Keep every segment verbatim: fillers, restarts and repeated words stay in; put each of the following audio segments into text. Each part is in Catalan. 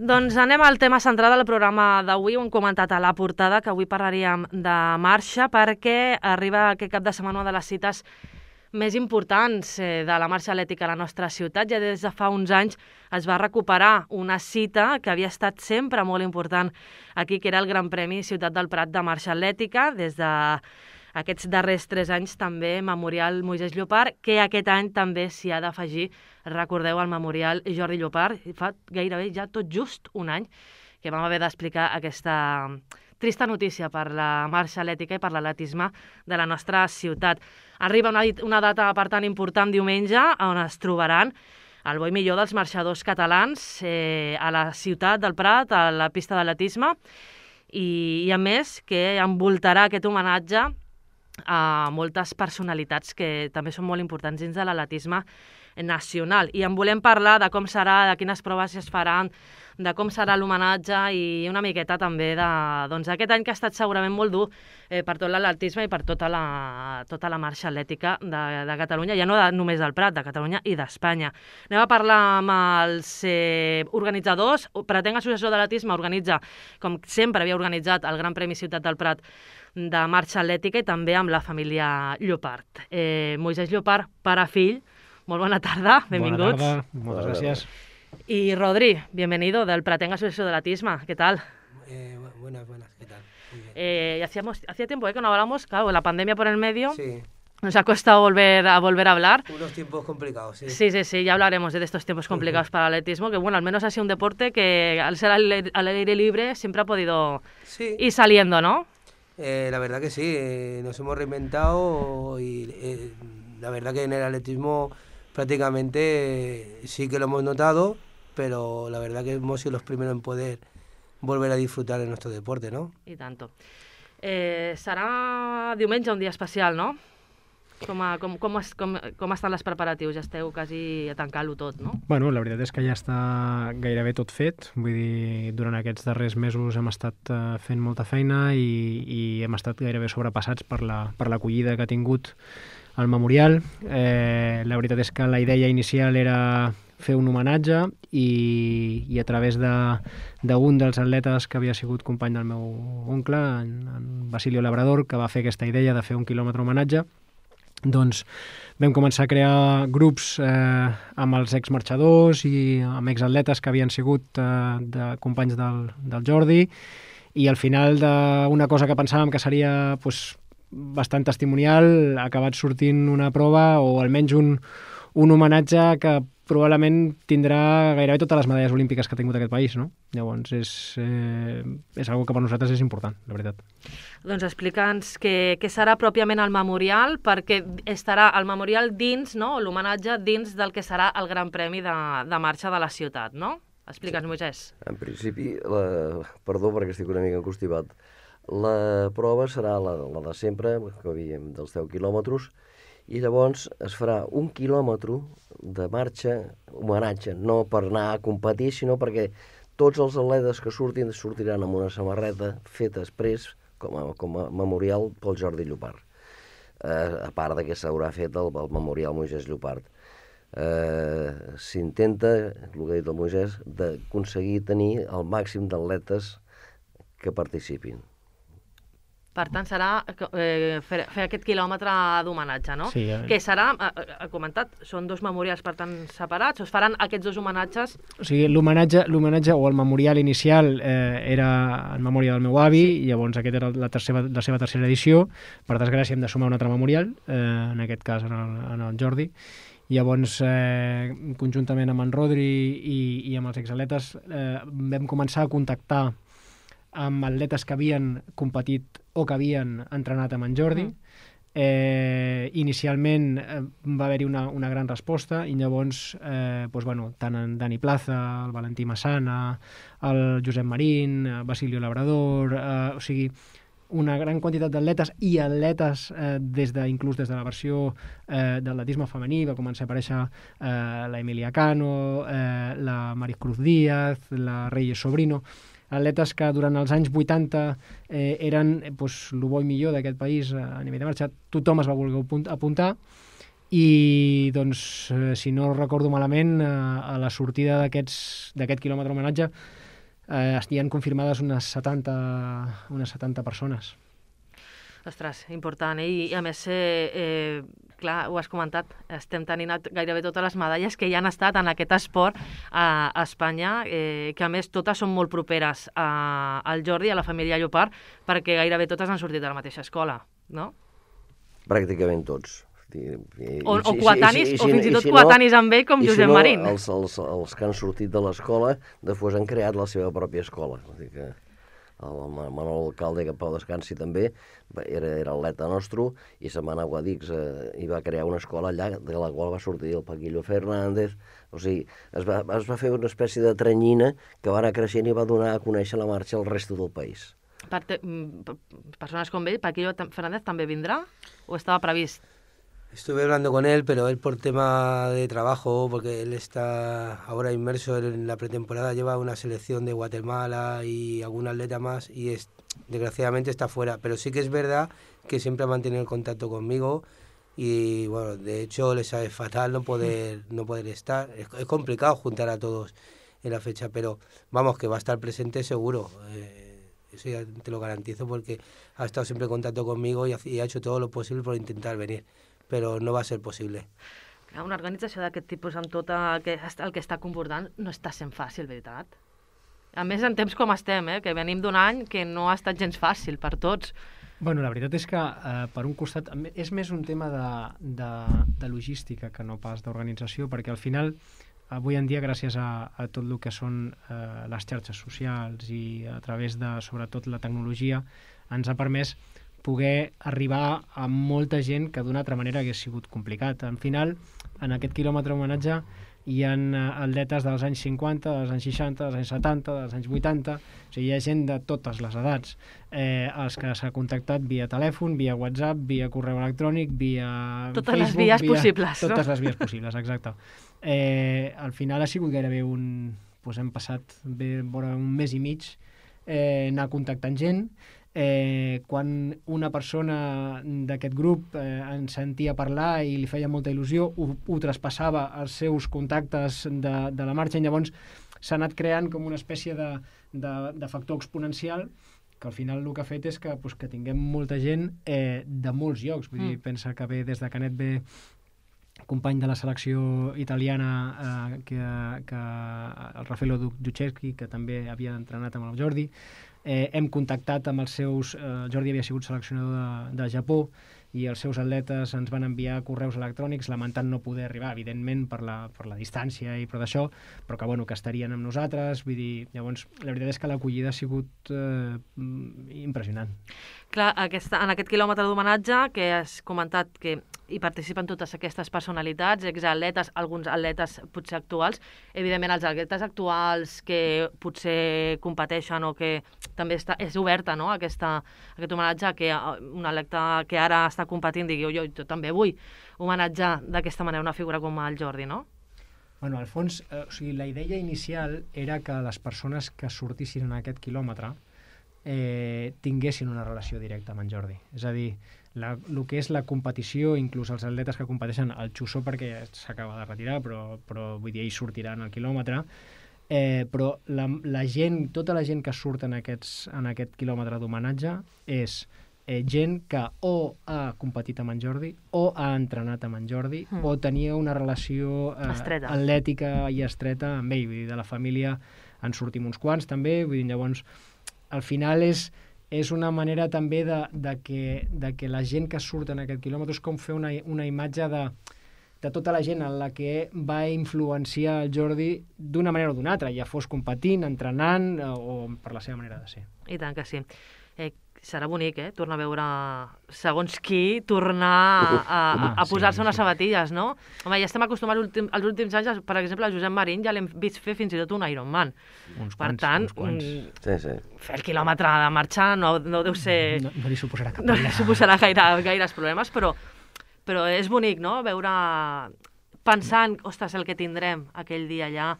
Doncs anem al tema central del programa d'avui. Ho hem comentat a la portada, que avui parlaríem de marxa, perquè arriba aquest cap de setmana una de les cites més importants de la marxa atlètica a la nostra ciutat. Ja des de fa uns anys es va recuperar una cita que havia estat sempre molt important aquí, que era el Gran Premi Ciutat del Prat de marxa atlètica. Des de aquests darrers tres anys també Memorial Moisès Llopart, que aquest any també s'hi ha d'afegir, recordeu, el Memorial Jordi Llopart. Fa gairebé ja tot just un any que vam haver d'explicar aquesta trista notícia per la marxa atlètica i per l'atletisme de la nostra ciutat. Arriba una, una data, per tant, important diumenge, on es trobaran el bo i millor dels marxadors catalans eh, a la ciutat del Prat, a la pista d'atletisme, i, i a més que envoltarà aquest homenatge a moltes personalitats que també són molt importants dins de l'atletisme nacional. I en volem parlar de com serà, de quines proves es faran, de com serà l'homenatge i una miqueta també de, doncs, aquest any que ha estat segurament molt dur eh, per tot l'atletisme i per tota la, tota la marxa atlètica de, de Catalunya, ja no de, només del Prat, de Catalunya i d'Espanya. Anem a parlar amb els eh, organitzadors. Pretenc Associació d'Atletisme organitza, com sempre havia organitzat, el Gran Premi Ciutat del Prat de marxa atlètica, i també amb la família Llopart. Eh, Moisès Llopart, pare fill, molt bona tarda, benvinguts. Buena tarda, moltes gràcies. Y Rodri, bienvenido del Pratenga Asociación de Atletismo. ¿Qué tal? Eh, buenas, buenas, ¿qué tal? Muy bien. Eh, hacíamos, hacía tiempo eh, que no hablamos, claro, la pandemia por el medio. Sí. Nos ha costado volver a volver a hablar. Unos tiempos complicados, sí. Sí, sí, sí, ya hablaremos de estos tiempos complicados para el atletismo, que bueno, al menos ha sido un deporte que al ser al, al aire libre siempre ha podido Sí. ir saliendo, ¿no? Eh, la verdad que sí, eh, nos hemos reinventado y eh, la verdad que en el atletismo prácticamente eh, sí que lo hemos notado, pero la verdad que hemos sido los primeros en poder volver a disfrutar de nuestro deporte, ¿no? I tanto. Eh, serà diumenge un dia especial, no? Com, a, com, com, es, com, com estan les preparatius? Ja esteu quasi a tancar-lo tot, no? Bueno, la veritat és que ja està gairebé tot fet. Vull dir, durant aquests darrers mesos hem estat uh, fent molta feina i, i hem estat gairebé sobrepassats per la, per l'acollida que ha tingut el memorial. Eh, la veritat és que la idea inicial era fer un homenatge i, i a través d'un de, dels atletes que havia sigut company del meu oncle, en, en Basilio Labrador, que va fer aquesta idea de fer un quilòmetre homenatge, doncs vam començar a crear grups eh, amb els exmarxadors i amb exatletes que havien sigut eh, de companys del, del Jordi, i al final d'una cosa que pensàvem que seria pues, bastant testimonial ha acabat sortint una prova o almenys un, un homenatge que probablement tindrà gairebé totes les medalles olímpiques que ha tingut aquest país, no? Llavors és, eh, és una cosa que per nosaltres és important, la veritat. Doncs explica'ns què, què serà pròpiament el memorial, perquè estarà el memorial dins, no?, l'homenatge dins del que serà el Gran Premi de, de marxa de la ciutat, no? Explica'ns, sí. Moisès. En principi, la... perdó perquè estic una mica encostipat, la prova serà la, la de sempre, que havíem dels deu quilòmetres, i llavors es farà un quilòmetre de marxa, homenatge, no per anar a competir, sinó perquè tots els atletes que surtin sortiran amb una samarreta feta després com a, com a memorial pel Jordi Llopart. Eh, a part de que s'haurà fet el, el memorial Moisès Llopart. Eh, S'intenta, el que ha dit el Moisès, d'aconseguir tenir el màxim d'atletes que participin. Per tant, serà eh, fer, fer aquest quilòmetre d'homenatge, no? Sí, eh? Que serà, ha comentat, són dos memorials, per tant, separats, o es faran aquests dos homenatges? O sigui, l'homenatge l'homenatge o el memorial inicial eh, era en memòria del meu avi, sí. I llavors aquest era la, tercera, la seva tercera edició. Per desgràcia hem de sumar un altre memorial, eh, en aquest cas en el, en el Jordi. Llavors, eh, conjuntament amb en Rodri i, i amb els exatletes, eh, vam començar a contactar amb atletes que havien competit o que havien entrenat amb en Jordi. Eh, inicialment eh, va haver-hi una, una gran resposta i llavors eh, doncs, bueno, tant en Dani Plaza, el Valentí Massana, el Josep Marín, el Basilio Labrador, eh, o sigui, una gran quantitat d'atletes i atletes eh, des de, inclús des de la versió eh, d'atletisme femení. Va començar a aparèixer eh, la Emilia Cano, eh, la Maricruz Díaz, la Reyes Sobrino, atletes que durant els anys vuitanta eh, eren pues, el bo i millor d'aquest país a nivell de marxa. Tothom es va voler apuntar i, doncs, eh, si no recordo malament, eh, a la sortida d'aquest quilòmetre homenatge eh, hi han confirmades unes setanta, unes setanta persones. Ostres, important, eh? I a més, eh, eh, clar, ho has comentat, estem tenint gairebé totes les medalles que ja han estat en aquest esport a, a Espanya, eh, que a més totes són molt properes a, al Jordi, a la família Llopart, perquè gairebé totes han sortit de la mateixa escola, no? Pràcticament tots. I, o, o coetanis, o fins i tot coetanis amb ell, com Josep Marín. Els, els, els que han sortit de l'escola, després han creat la seva pròpia escola. Vull dir que el Manol Alcalde, que Pau descansi també, era, era atleta nostre, i se'n va anar a Guadix eh, i va crear una escola allà, de la qual va sortir el Paquillo Fernández. O sigui, es va, es va fer una espècie de trenyina que va anar creixent i va donar a conèixer la marxa al resto del país. Per te, persones com ell, Paquillo Fernández també vindrà o estava previst? Estuve hablando con él, pero él por tema de trabajo, porque él está ahora inmerso en la pretemporada, lleva una selección de Guatemala y algún atleta más y es, desgraciadamente está fuera. Pero sí que es verdad que siempre ha mantenido el contacto conmigo y bueno, de hecho le sabe fatal no poder, no poder estar. Es, es complicado juntar a todos en la fecha, pero vamos, que va a estar presente seguro. Eh, eso ya te lo garantizo porque ha estado siempre en contacto conmigo y ha, y ha hecho todo lo posible por intentar venir. Però no va ser possible. Una organització d'aquest tipus amb tot el que, el que està comportant no està sent fàcil, veritat? A més, en temps com estem, eh, que venim d'un any que no ha estat gens fàcil per tots. Bueno, la veritat és que, eh, per un costat, és més un tema de, de, de logística que no pas d'organització, perquè al final, avui en dia, gràcies a, a tot el que són eh, les xarxes socials i a través de, sobretot, la tecnologia, ens ha permès poder arribar a molta gent que d'una altra manera hagués sigut complicat. Al final, en aquest quilòmetre homenatge hi ha atletes dels anys cinquanta, dels anys seixanta, dels anys setanta, dels anys vuitanta, o sigui, hi ha gent de totes les edats, eh, els que s'ha contactat via telèfon, via WhatsApp, via correu electrònic, via totes Facebook, les vies via... possibles, totes no? les vies possibles, exacte. Eh, al final ha sigut gairebé un... Doncs hem passat bé, vora un mes i mig eh, anar contactant gent. Eh, quan una persona d'aquest grup eh, ens sentia parlar i li feia molta il·lusió, ho, ho traspassava als seus contactes de, de la marxa, i llavors s'ha anat creant com una espècie de, de, de factor exponencial que al final el que ha fet és que, pues, que tinguem molta gent eh, de molts llocs. Vull dir, mm. pensa que ve des de Canet, ve company de la selecció italiana, eh, que, que el Raffaello Ducheschi, que també havia entrenat amb el Jordi. Eh, hem contactat amb els seus... Eh, Jordi havia sigut seleccionador de, de Japó i els seus atletes ens van enviar correus electrònics lamentant no poder arribar, evidentment, per la, per la distància i per d'això, però que, bueno, que estarien amb nosaltres. Vull dir, llavors, la veritat és que l'acollida ha sigut eh, impressionant. Clar, aquesta, en aquest quilòmetre d'homenatge que has comentat que hi participen totes aquestes personalitats, exatletes, alguns atletes potser actuals, evidentment els atletes actuals que potser competeixen o que també està, és oberta, no?, aquesta, aquest homenatge, que un atleta que ara està competint digui, jo, jo també vull homenatjar d'aquesta manera una figura com el Jordi, no? Bueno, al fons, eh, o sigui, la idea inicial era que les persones que sortissin en aquest quilòmetre eh, tinguessin una relació directa amb en Jordi. És a dir, la, el que és la competició, inclús els atletes que competeixen, el Xussó perquè s'acaba de retirar, però, però vull dir, ell sortirà en el quilòmetre, eh, però la, la gent, tota la gent que surt en, aquests, en aquest quilòmetre d'homenatge és eh, gent que o ha competit amb en Jordi o ha entrenat amb en Jordi mm. o tenia una relació eh, atlètica i estreta amb ell. Vull dir, de la família en sortim uns quants també, vull dir, llavors al final és, és una manera també de, de, que, de que la gent que surt en aquest quilòmetre és com fer una, una imatge de, de tota la gent en la que va influenciar el Jordi d'una manera o d'una altra, ja fos competint, entrenant o per la seva manera de ser. I tant que sí. Eh, serà bonic, eh?, tornar a veure segons qui tornar a, a, a posar-se sí, unes sí. sabatilles, no? Home, ja estem acostumats últim, als últims anys, per exemple, a Josep Marín ja l'hem vist fer fins i tot un Ironman. Uns per quants, tant, uns quants. Un, sí, sí. fer el quilòmetre de marxa no, no deu ser... No, no li suposarà cap no li suposarà gaire, gaires problemes, però, però és bonic, no?, veure... Pensant, ostres, el que tindrem aquell dia allà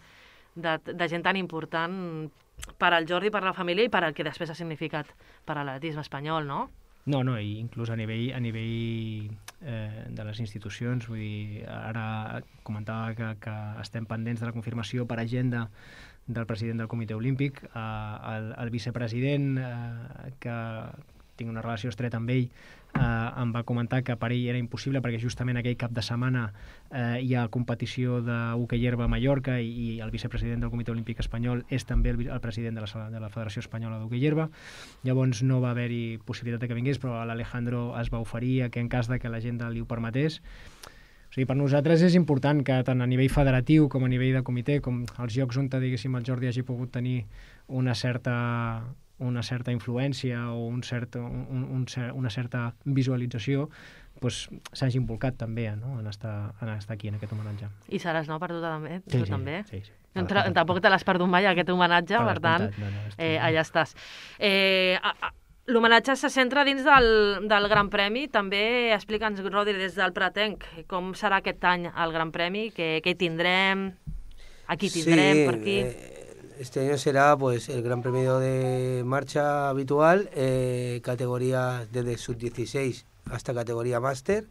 de, de gent tan important per al Jordi, per la família i per al que després ha significat per a l'atletisme espanyol, no? No, no, i inclús a nivell, a nivell eh, de les institucions, vull dir, ara comentava que, que estem pendents de la confirmació per agenda del president del Comitè Olímpic, eh, el, el vicepresident, eh, que tinc una relació estreta amb ell, eh, em va comentar que per ell era impossible perquè justament aquell cap de setmana eh, hi ha competició d'hoquei herba a Mallorca i, i el vicepresident del Comitè Olímpic Espanyol és també el, el president de la, de la Federació Espanyola d'Hoquei herba. Llavors no va haver-hi possibilitat de que vingués, però l'Alejandro es va oferir que en cas de que l'agenda li ho permetés. O sigui, per nosaltres és important que tant a nivell federatiu com a nivell de comitè, com els llocs on, diguéssim, el Jordi hagi pogut tenir una certa una certa influència o un cert, un, un, una certa visualització, pues, s'hagi involucrat també, no? en, estar, en estar aquí en aquest homenatge. I seràs, no?, per tu també? Sí, tu sí, també? sí, sí. No, tampoc te l'has perdut mai, aquest homenatge, per tant, no, no, eh, allà estàs. Eh, L'homenatge se centra dins del, del Gran Premi. També explica'ns, Rodri, des del Pratenc, com serà aquest any el Gran Premi, què, què tindrem, a qui tindrem, sí, per aquí... Eh... Este año será pues el Gran Premio de marcha habitual, eh, categoría desde sub dieciséis hasta categoría máster.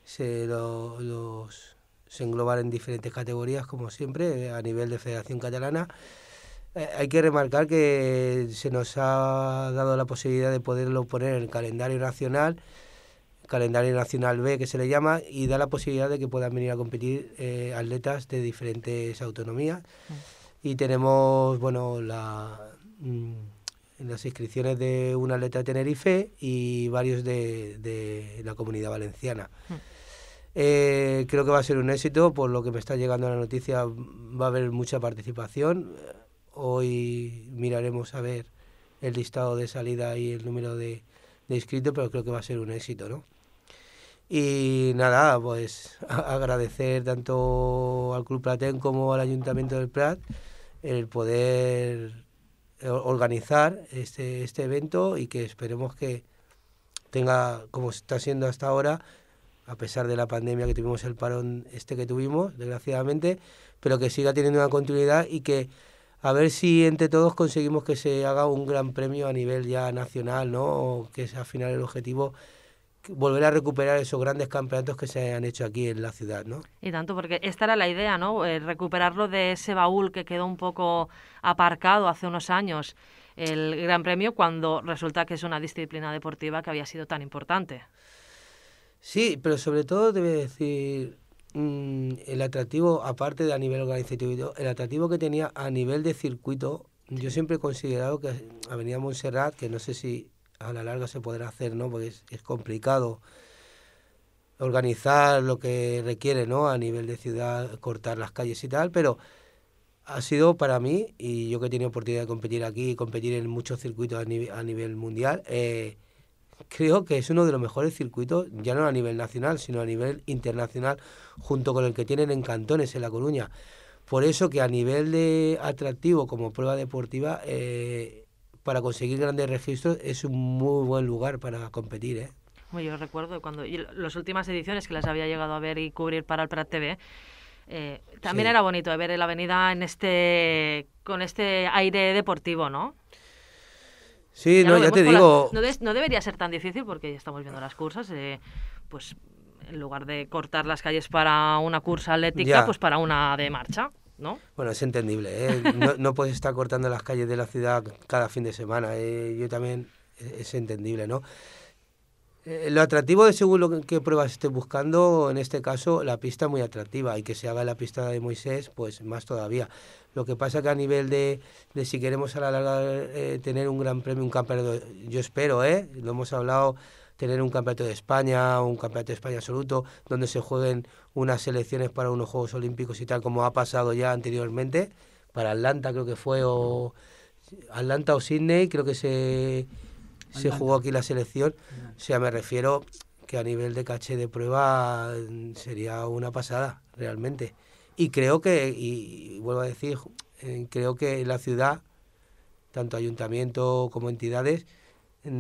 Se, lo, los, se engloban en diferentes categorías, como siempre, a nivel de Federación Catalana. Eh, hay que remarcar que se nos ha dado la posibilidad de poderlo poner en el calendario nacional, calendario nacional B que se le llama, y da la posibilidad de que puedan venir a competir eh, atletas de diferentes autonomías. Y tenemos, bueno, la, mm, las inscripciones de un atleta de Tenerife y varios de, de la Comunidad Valenciana. Mm. Eh, creo que va a ser un éxito, por lo que me está llegando la noticia, va a haber mucha participación. Hoy miraremos a ver el listado de salida y el número de, de inscritos, pero creo que va a ser un éxito, ¿no? Y nada, pues a agradecer tanto al Club Pratenc como al Ayuntamiento del Prat el poder organizar este, este evento y que esperemos que tenga, como está siendo hasta ahora, a pesar de la pandemia que tuvimos, el parón este que tuvimos, desgraciadamente, pero que siga teniendo una continuidad y que a ver si entre todos conseguimos que se haga un gran premio a nivel ya nacional, ¿no? O que es al final el objetivo, volver a recuperar esos grandes campeonatos que se han hecho aquí en la ciudad, ¿no? Y tanto, porque esta era la idea, ¿no? Eh, recuperarlo de ese baúl que quedó un poco aparcado hace unos años, el Gran Premio, cuando resulta que es una disciplina deportiva que había sido tan importante. Sí, pero sobre todo debe decir mmm, el atractivo, aparte de a nivel organizativo, el atractivo que tenía a nivel de circuito. Yo siempre he considerado que Avenida Montserrat, que no sé si a la larga se podrá hacer, ¿no? Porque es, es complicado organizar lo que requiere, ¿no? A nivel de ciudad, cortar las calles y tal, pero ha sido para mí, y yo que he tenido oportunidad de competir aquí y competir en muchos circuitos a, nivel, a nivel mundial, eh, creo que es uno de los mejores circuitos, ya no a nivel nacional, sino a nivel internacional, junto con el que tienen en Cantones, en La Coruña. Por eso que a nivel de atractivo como prueba deportiva, eh, para conseguir grandes registros es un muy buen lugar para competir, ¿eh? Yo recuerdo cuando y las últimas ediciones que las había llegado a ver y cubrir para el Prat T V, eh, también sí. Era bonito ver la avenida en este con este aire deportivo, ¿no? Sí, ya no, ya te digo... La, no, de, no debería ser tan difícil porque ya estamos viendo las cursas, eh, pues en lugar de cortar las calles para una cursa atlética, ya. Pues para una de marcha, ¿no? Bueno, es entendible, ¿eh? No, no puedes estar cortando las calles de la ciudad cada fin de semana, ¿eh? Yo también, es entendible, ¿no? Eh, lo atractivo de según lo que pruebas estés buscando, en este caso la pista es muy atractiva, y que se haga la pista de Moisés, pues más todavía. Lo que pasa que a nivel de, de si queremos a la larga eh, tener un gran premio, un campeonato, yo espero, ¿eh? Lo hemos hablado, tener un campeonato de España, un campeonato de España absoluto, donde se jueguen unas selecciones para unos Juegos Olímpicos y tal, como ha pasado ya anteriormente, para Atlanta creo que fue, o Atlanta o Sydney, creo que se, se jugó aquí la selección. O sea, me refiero que a nivel de caché de prueba sería una pasada, realmente. Y creo que, y, y vuelvo a decir, eh, creo que la ciudad, tanto ayuntamiento como entidades,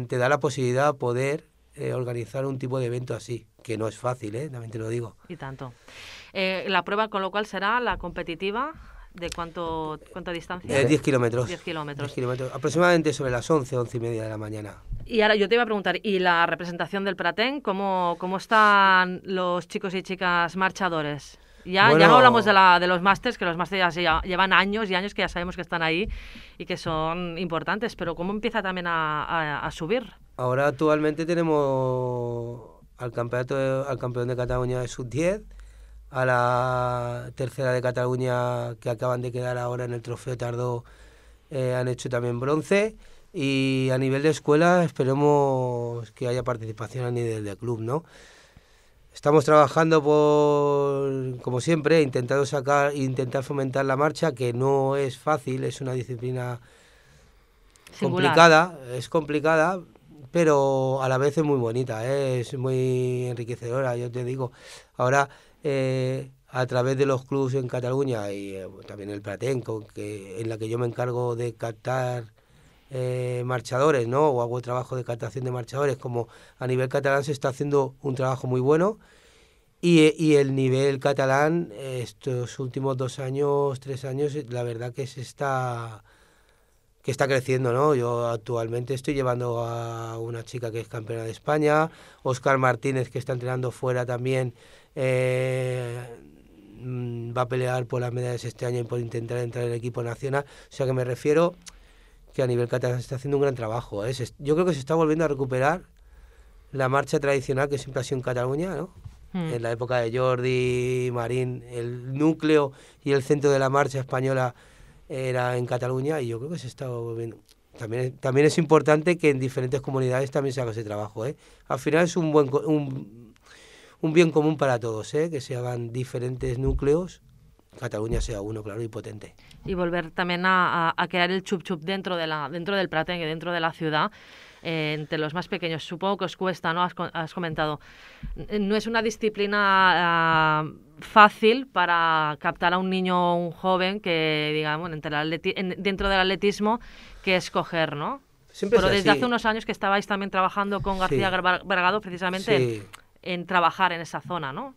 te da la posibilidad de poder eh, organizar un tipo de evento así, que no es fácil, ¿eh? También te lo digo. Y tanto. Eh, la prueba, con lo cual, será la competitiva, ¿de cuánto cuánta distancia? Eh, diez kilómetros. diez kilómetros. diez kilómetros. Aproximadamente sobre las once, once y media de la mañana. Y ahora yo te iba a preguntar, ¿y la representación del Pratenc? ¿Cómo, cómo están los chicos y chicas marchadores? Ya, Bueno, ya no hablamos de, la, de los másters, que los másters ya llevan años y años que ya sabemos que están ahí y que son importantes, pero ¿cómo empieza también a, a, a subir? ahora actualmente tenemos al campeonato al campeón de Cataluña de sub diez, a la tercera de Cataluña que acaban de quedar ahora en el Trofeo Tardó, eh, han hecho también bronce, y a nivel de escuela esperemos que haya participación a nivel de club, ¿no? Estamos trabajando por, como siempre, intentando sacar, intentar fomentar la marcha, que no es fácil, es una disciplina Singular. complicada, es complicada, pero a la vez es muy bonita, ¿eh? Es muy enriquecedora, yo te digo. Ahora, eh, a través de los clubes en Cataluña y eh, también el Pratenco, que, en la que yo me encargo de captar eh, marchadores, ¿no? O hago trabajo de captación de marchadores, como a nivel catalán se está haciendo un trabajo muy bueno. Y, y el nivel catalán, estos últimos dos años, tres años, la verdad que se está... que está creciendo, ¿no? Yo actualmente estoy llevando a una chica que es campeona de España, Óscar Martínez, que está entrenando fuera también, eh, va a pelear por las medallas este año y por intentar entrar en el equipo nacional. O sea que me refiero que a nivel catalán se está haciendo un gran trabajo, ¿eh? Yo creo que se está volviendo a recuperar la marcha tradicional que siempre ha sido en Cataluña, ¿no? Mm. En la época de Jordi, Marín, el núcleo y el centro de la marcha española era en Cataluña, y yo creo que se está volviendo. También, también es importante que en diferentes comunidades también se haga ese trabajo, ¿eh? Al final es un buen un, un bien común para todos, ¿eh? Que se hagan diferentes núcleos, Cataluña sea uno, claro, y potente. Y volver también a, a, a crear el chup chup dentro de la dentro del Pratenc, dentro de la ciudad. Eh, entre los más pequeños, supongo que os cuesta, ¿no? Has, has comentado. No es una disciplina uh, fácil para captar a un niño o un joven que, digamos, entre el atleti- en, dentro del atletismo, que escoger, ¿no? Siempre Pero es desde así. hace unos años que estabais también trabajando con García Sí. Bragado precisamente Sí. en, en trabajar en esa zona, ¿no?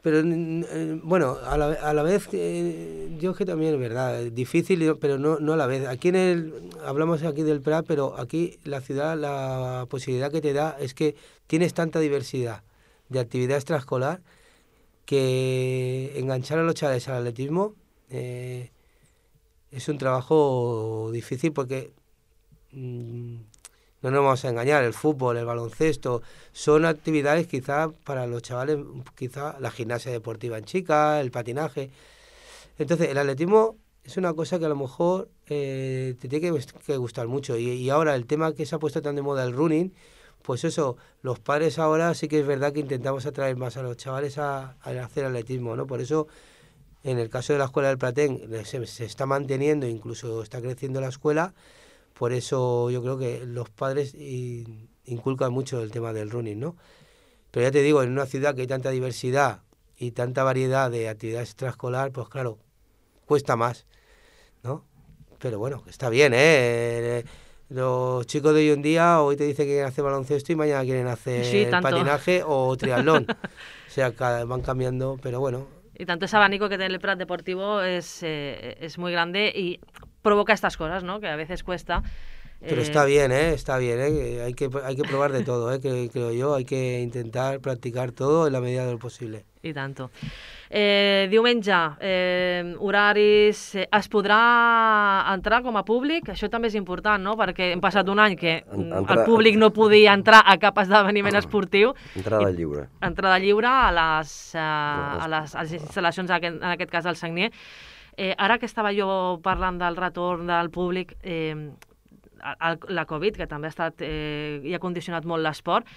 Pero eh, bueno, a la, a la vez, eh, yo que también es verdad, es difícil, pero no, no a la vez. Aquí en el, hablamos aquí del Prat, pero aquí la ciudad, la posibilidad que te da es que tienes tanta diversidad de actividad extraescolar que enganchar a los chavales al atletismo eh, es un trabajo difícil porque... Mmm, no nos vamos a engañar, el fútbol, el baloncesto, son actividades quizá para los chavales, quizá la gimnasia deportiva en chicas, el patinaje. Entonces, el atletismo es una cosa que a lo mejor eh, te tiene que, que gustar mucho. Y, y ahora el tema que se ha puesto tan de moda, el running, pues eso, los padres ahora sí que es verdad que intentamos atraer más a los chavales a, a hacer atletismo, ¿no? Por eso, en el caso de la escuela del Pratenc, se, se está manteniendo, incluso está creciendo la escuela. Por eso yo creo que los padres inculcan mucho el tema del running, ¿no? Pero ya te digo, en una ciudad que hay tanta diversidad y tanta variedad de actividades extraescolar, pues claro, cuesta más, ¿no? Pero bueno, está bien, ¿eh? Los chicos de hoy en día hoy te dicen que quieren hacer baloncesto y mañana quieren hacer Sí, tanto. patinaje o triatlón. O sea, cada, van cambiando, pero bueno. Y tanto ese abanico que tiene el Prat deportivo es, eh, es muy grande y provoca estas cosas, ¿no? Que a veces cuesta. Pero eh... está bien, ¿eh? Está bien, ¿eh? Hay que, hay que probar de todo, ¿eh? Que, creo yo. Hay que intentar practicar todo en la medida de lo posible. I tanto. Eh, diumenge, eh, horaris... Eh, es podrà entrar com a públic? Això també és important, no? Perquè hem passat un any que Entra... el públic no podia entrar a cap esdeveniment esportiu. Entrada lliure. Entrada lliure a les, uh, a les, a les instal·lacions, en aquest cas del Sagnier. Eh, ara que estava jo parlant del retorn del públic, eh, el, la Covid, que també ha estat eh, i ha condicionat molt l'esport,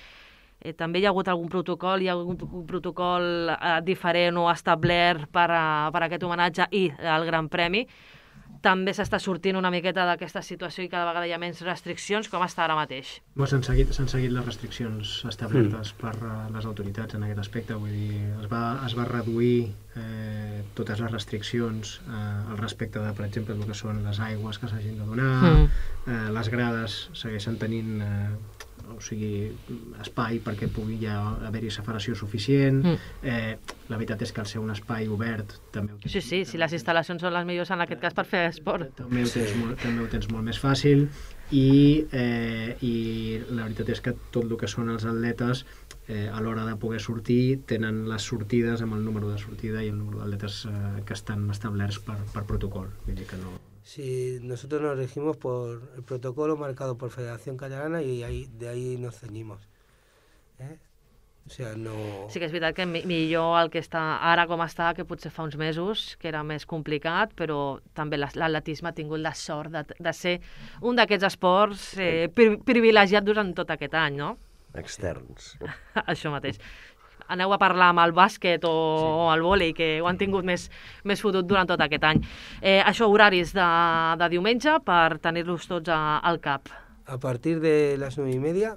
eh, també hi ha hagut algun protocol, hi ha hagut un protocol eh, diferent o establert per, a, per a aquest homenatge i el Gran Premi. També s'està sortint una miqueta d'aquesta situació i cada vegada hi ha menys restriccions. Com està ara mateix? Bueno, s'han seguit, s'han seguit les restriccions establertes mm. per uh, les autoritats en aquest aspecte. Vull dir, es va, es va reduir eh, totes les restriccions eh, al respecte de, per exemple, el que són les aigües que s'hagin de donar, mm. eh, les grades segueixen tenint eh, o sigui, espai perquè pugui ja haver-hi separació suficient. Mm. Eh, la veritat és que al ser un espai obert també ho tens, Sí, sí, si les instal·lacions són les millors en aquest cas per fer esport. també ho tens, molt, també ho tens molt més fàcil i, eh, i la veritat és que tot el que són els atletes eh, a l'hora de poder sortir tenen les sortides amb el número de sortida i el número d'atletes eh, que estan establerts per, per protocol. Vull dir que no... Sí, nosotros nos regimos por el protocolo marcado por Federación Catalana y ahí, de ahí nos ceñimos. ¿Eh? O sea, no... Sí que és veritat que mi- millor el que està ara com està, que potser fa uns mesos, que era més complicat, però també l'as- l'atletisme ha tingut la sort de, de ser un d'aquests esports eh, pri privilegiat durant tot aquest any, no? Externs. Això mateix. Aneu a parlar amb el bàsquet o, sí. o el vòlei, que ho han tingut més, més fotut durant tot aquest any. Eh, això, horaris de, de diumenge per tenir-los tots a, al cap. A partir de las nueve y media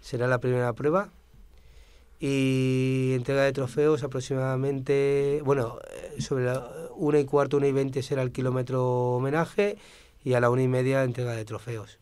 será la primera prueba y entrega de trofeos aproximadamente, bueno, sobre la una y cuarto, una y veinte será el kilómetro homenaje y a la una y media entrega de trofeos.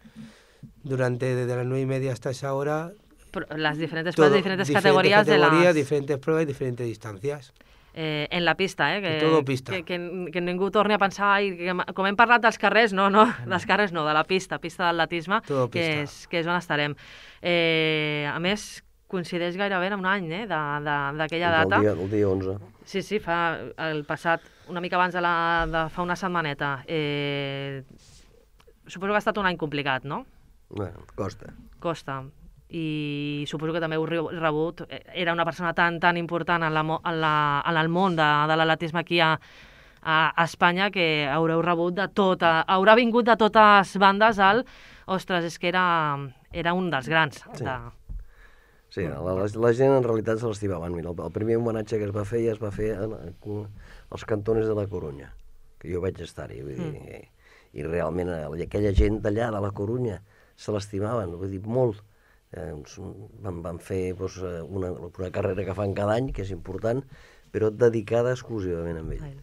Durante desde las nueve y media hasta esa hora Però les diferents, todo, les diferents diferentes categories, categorías, de les... diferentes pruebas y diferentes distancias. Eh, en la pista, eh? Que, Todo pista. Que, que, que ningú torni a pensar, ai, que, com hem parlat dels carrers, no, no, dels carrers no, de la pista, pista d'atletisme, Todo que pista. és, que és on estarem. Eh, a més, coincideix gairebé en un any eh, d'aquella El data. dia, el dia onze. Sí, sí, fa el passat, una mica abans de, la, de fa una setmaneta. Eh, suposo que ha estat un any complicat, no? Bueno, costa. Costa. I suposo que també heu re- rebut, eh, era una persona tan tan important en, la, mo- en, la, en el món de, de l'atletisme aquí a, a Espanya que haureu rebut de tota, haurà vingut de totes bandes al, ostres, és que era, era un dels grans. Sí. De... Sí, la, la, la gent en realitat se l'estimaven. Mira, el, el primer homenatge que es va fer ja es va fer en, en, als cantones de la Corunya, que jo vaig estar-hi. Vull dir, mm. i, I realment eh, aquella gent d'allà, de la Corunya, se l'estimaven, vull dir, molt. Eh, van, van fer doncs, una, una carrera que fan cada any, que és important, però dedicada exclusivament a ell.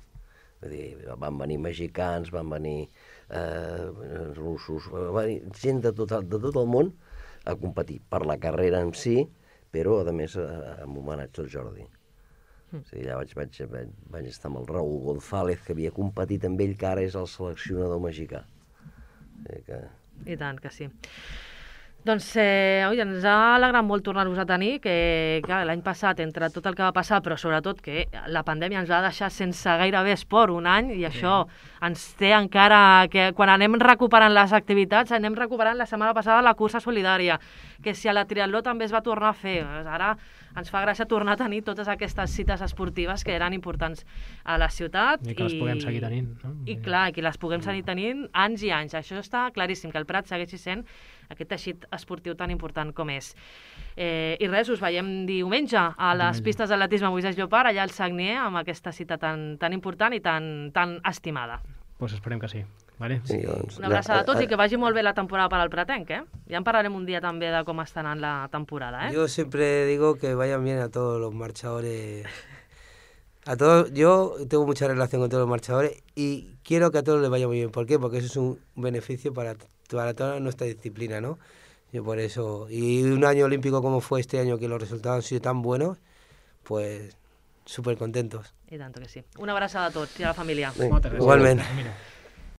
Vull dir, van venir mexicans, van venir eh, russos, van venir gent de tot, de tot el món a competir per la carrera en si, però a més amb homenatge al Jordi. Mm. O sigui, allà vaig, vaig, vaig, vaig estar amb el Raúl González, que havia competit amb ell, que ara és el seleccionador mexicà. O sigui que... I tant que sí. Doncs eh, oi, ens ha alegrat molt tornar-vos a tenir, que clar, l'any passat, entre tot el que va passar, però sobretot que la pandèmia ens va deixar sense gairebé esport un any, i això ens té encara... que quan anem recuperant les activitats, anem recuperant la setmana passada la cursa solidària, que si a la triatló també es va tornar a fer. Ara ens fa gràcia tornar a tenir totes aquestes cites esportives que eren importants a la ciutat. I que les puguem seguir tenint. No? I clar, que les puguem seguir tenint anys i anys. Això està claríssim, que el Prat segueixi sent aquest teixit esportiu tan important com és. Eh, I res, us veiem diumenge a les Diumenge. pistes d'atletisme Moisès Llopart, allà al Sagnier, amb aquesta cita tan, tan important i tan, tan estimada. Pues esperem que sí. Vale? Sí, doncs, Una abraçada a tots i que vagi molt bé la temporada per al Pratenc, eh? Ja en parlarem un dia també de com està anant la temporada, eh? Yo siempre digo que vayan bien a todos los marchadores. A todos, yo tengo mucha relación con todos los marchadores y quiero que a todos les vaya muy bien. ¿Por qué? Porque eso es un beneficio para, para toda nuestra disciplina, ¿no? Yo por eso, y un año olímpico como fue este año, que los resultados han sido tan buenos, pues súper contentos. I tant que sí. Una abraçada a tots i a la família. Sí. Moltes gràcies. Igualment. Mira.